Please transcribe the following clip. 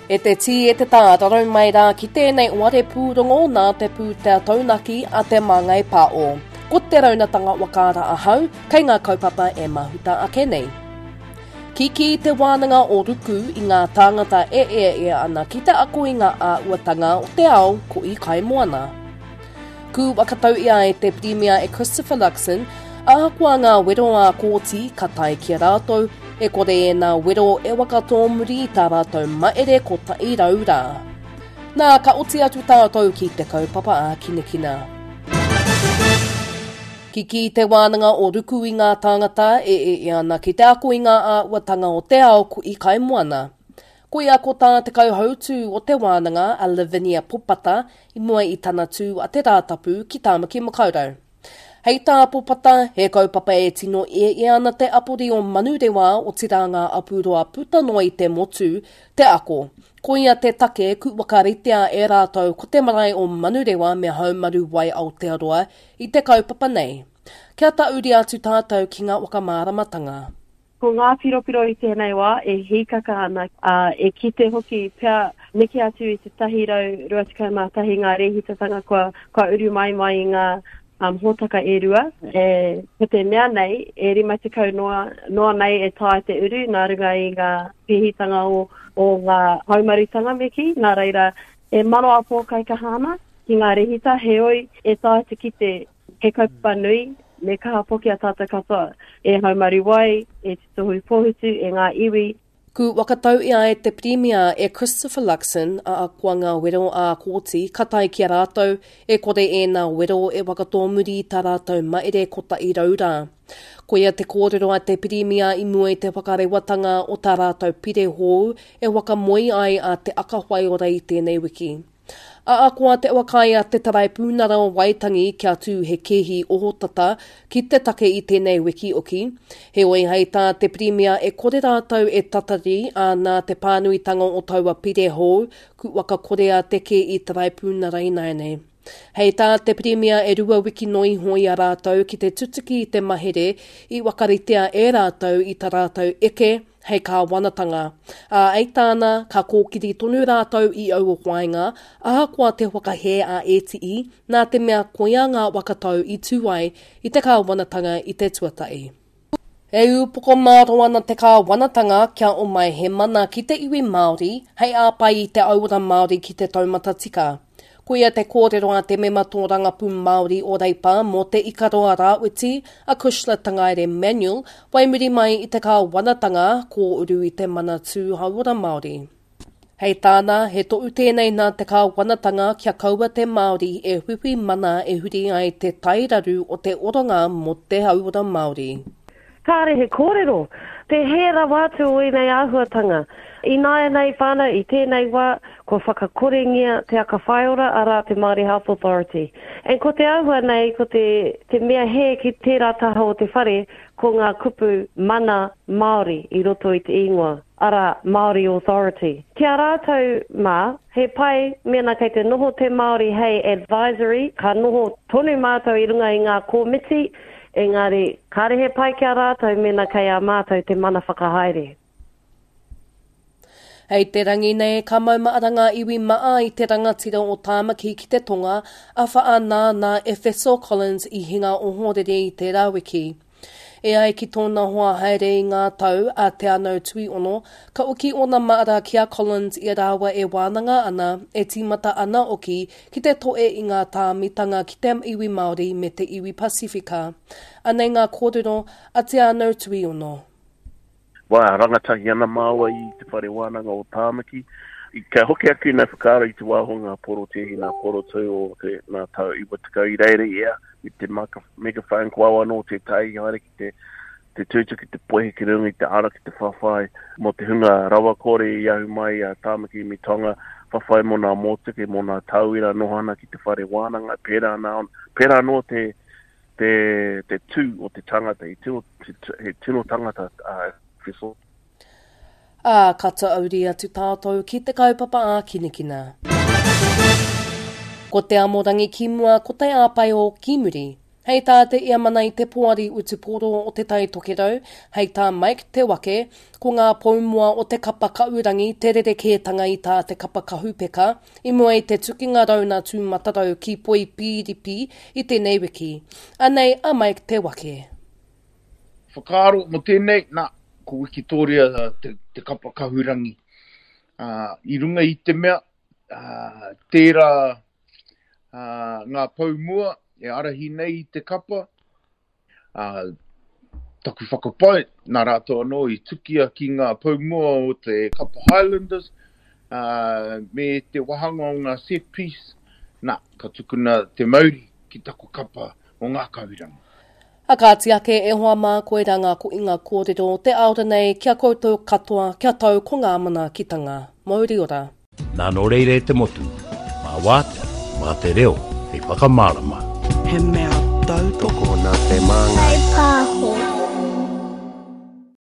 E te tī, e te tā, rarau mai rā ki tēnei oare pūrongo nā te pūtea taunaki a Te Māngai Pāo. Ko te raunatanga whakaara ahau, kei ngā kaupapa e mahuta ake nei. Kikī te wānanga o Ruku i ngā tāngata e eaea ana ki te ako i ngā āhuatanga o te ao ko i Kaimoana. Ku whakatau ia e te Pirimia e Christopher Luxon, ahakoa ngā wero ā-kōti ka tae ki a rātou, e kore ēnā wero e whakatōmuri i tā rātou maere 100 rā. Nā, ka oti atu tātou ki te kaupapa ākinakina. Kikī te wānanga o Ruku i ngā tāngata e ea ana ki te ako i ngā āhuatanga o te ao ko i Kaimoana. Koia ko tā te kauhautū o te wānanga a Lavinia Popata i mua i tana tū a Te Rātapu ki Tāmaki Makaurau. Hei tā Popata, he kaupapa e tino ieie ana te apori o Manurewa otirā ngā apuroa puta noa i te motu, te ako. Koia te take ku whakaritea e rātou ko te marae o Manurewa me Haumaru Wai Aotearoa i te kaupapa nei. Kia tauri atu tātou ki ngā whakamāramatanga. Ko ngā piropiro i tēnei wā e hīkaka ana, ā, e kite hoki pea neke atu i te 121 ngā rēhitatanga kua, kua uru mai mai i ngā um, hōtaka e rua. E, ko te mea nei, e 50 noa, noa nei e taea te uru nā runga i ngā pēhitanga o, o ngā haumarutanga me kī, nā reira e manawa pōkaikaha ana ki ngā rēhita, heoi e taea te kite He kaupapa nui, me kaha poke a tātou katoa, e Haumaru Wai, e Te Tohu Pōhutu, e ngā iwi. Ku whakatau ia e te Pirimia e Christopher Luxon, ahakoa ngā wero ā-kōti ka tae ki a rātou, e kore ēnā wero e whakatōmuri i tā rātou maere 100 rā. Koia te kōrero a te Pirimia i mua i te whakarewatanga o tā rātou pire hou e whakamoe ai a Te Aka Whaiora i tēnei wiki. Ahakoa te whakaae a te Taraipiunara o Waitangi kia tū he kēhi ohotata ki te take i tēnei wiki oki, heoi hei tā te Pirimia e kore rātou e tatari, ā, nā te pānuitanga o taua pire hou, ku whakakorea te kēhi Taraipiunara ināianei. Hei tā te Pirimia e rua wiki noa iho i a rātou ki te tutuki i te mahere i whakaritea e rātou i ta rātou eke hei kāwanatanga. Ā, hei tāna, ka kōkiri tonu rātou i aua whāinga, ahakoa te whakahē a ētiī, nā te mea koia ngā whakatau i tū ai i te kāwanatanga i te tuatahi. E ūpoko mārō ana te kāwanatanga kia omai he mana ki te iwi Māori hei āpai i te auora Māori ki te taumata tika. Koia te kōrero a te mema tōrangapū Māori o Reipa mō Te Ikaroa Rāwhiti, a Cushla Tangaere Manuel, whai muri mai i te kāwanatanga kōuru i te Manatū Hauora Māori. Hei tāna, he tohu tēnei nā te kāwanatanga kia kaua te Māori e whiwhi mana e huri ai te tairaru o te oranga mō te hauora Māori. Kāre he kōrero. Te hē rawa atu o ēnei āhuatanga. Ināianei whānau, i tēnei wā, kua whakakorengia Te Aka Whaiora, arā, te Māori Health Authority. And ko te āhua nei, ko te, te mea hē ki tērā taha o te whare, ko ngā kupu mana Māori i roto i te ingoa, arā, Māori Authority. Ki a rātou mā, he pai mēnā kei te noho te Māori hei advisory, ka noho tonu mātou i runga i ngā kōmiti, Engari, kāre he pai ki a rātou mēnā kei a mātou te mana whakahaere. Hei te rangi nei, ka maumahara ngā iwi maa i te rangatira o Tāmaki ki te tonga, a Whaa nāna Efeso Collins i hinga ohorere i tērā wiki. E ai ki tōna hoa haere i ngā tau, a Te Anau Tuiono, ka oki ōna maara ki a Collins i a rāua e wānanga ana, e tīmata ana oki ki te toe i ngā tāmitanga ki te iwi Māori me te iwi Pasifika. Anei ngā kōrero a Te Anau Tuiono. Wā, rangatahi ana māua i te whare wānanga o Tāmaki. Kia hoki atu nā whakaaro i te wā o ngā porotēhi, ngā porotū o te nā tau 90 i reira ia i te megaphone ko au anō tētahi i haere ki te te tūtū ki te poihi ki runga i te ara ki te whawhai mō te hunga rawakore i ahu mai a Tāmaki me Tonga, whawhai mō nā mōtuke, mō nā tauira noho ana ki te whare wānanga, pērā, nā, pērā anō te, te, te tū o te tangata, he tino, he tino tangata a Whistle. Ā, ka tauri atu tātou ki te kaupapa ākinakina. Ko te amorangi ki mua, ko te āpae o ki muri. Hei tā te Iamana i te Poari Utupōro o Te Tai Tokerau, hei tā Mike Te Wake, ko ngā poumua o te kapa Kaurangi te rerekētanga i tā te kapa Kahupeka i mua i te tukinga rauna tūmatarau ki Poipīripi i tēnei wiki. Anei a Mike Te Wake. Whakaaro mō tēnei, nā, ko Wikitōria te, te kapa kahurangi. Uh, I runga i te mea, uh, tērā uh, ngā pou mua e arahi nei i te kapa, uh, taku whakapae, nā rātou anō i tukia ki ngā pou mua o te kapa Highlanders, uh, me te wahanga o ngā set piece, nā, ka tukuna te mauri ki taku kapa o ngā kahurangi. A kāti ake e hoa mā koirā ngā koinga kōrero o te aora nei ki a koutou katoa kia tau ko ngā manaakitanga. Mauri ora. Nā nō reira e te motu, mā wātea, mā te reo hei whakamārama. He mea tautoko nā te māngai. Pāho.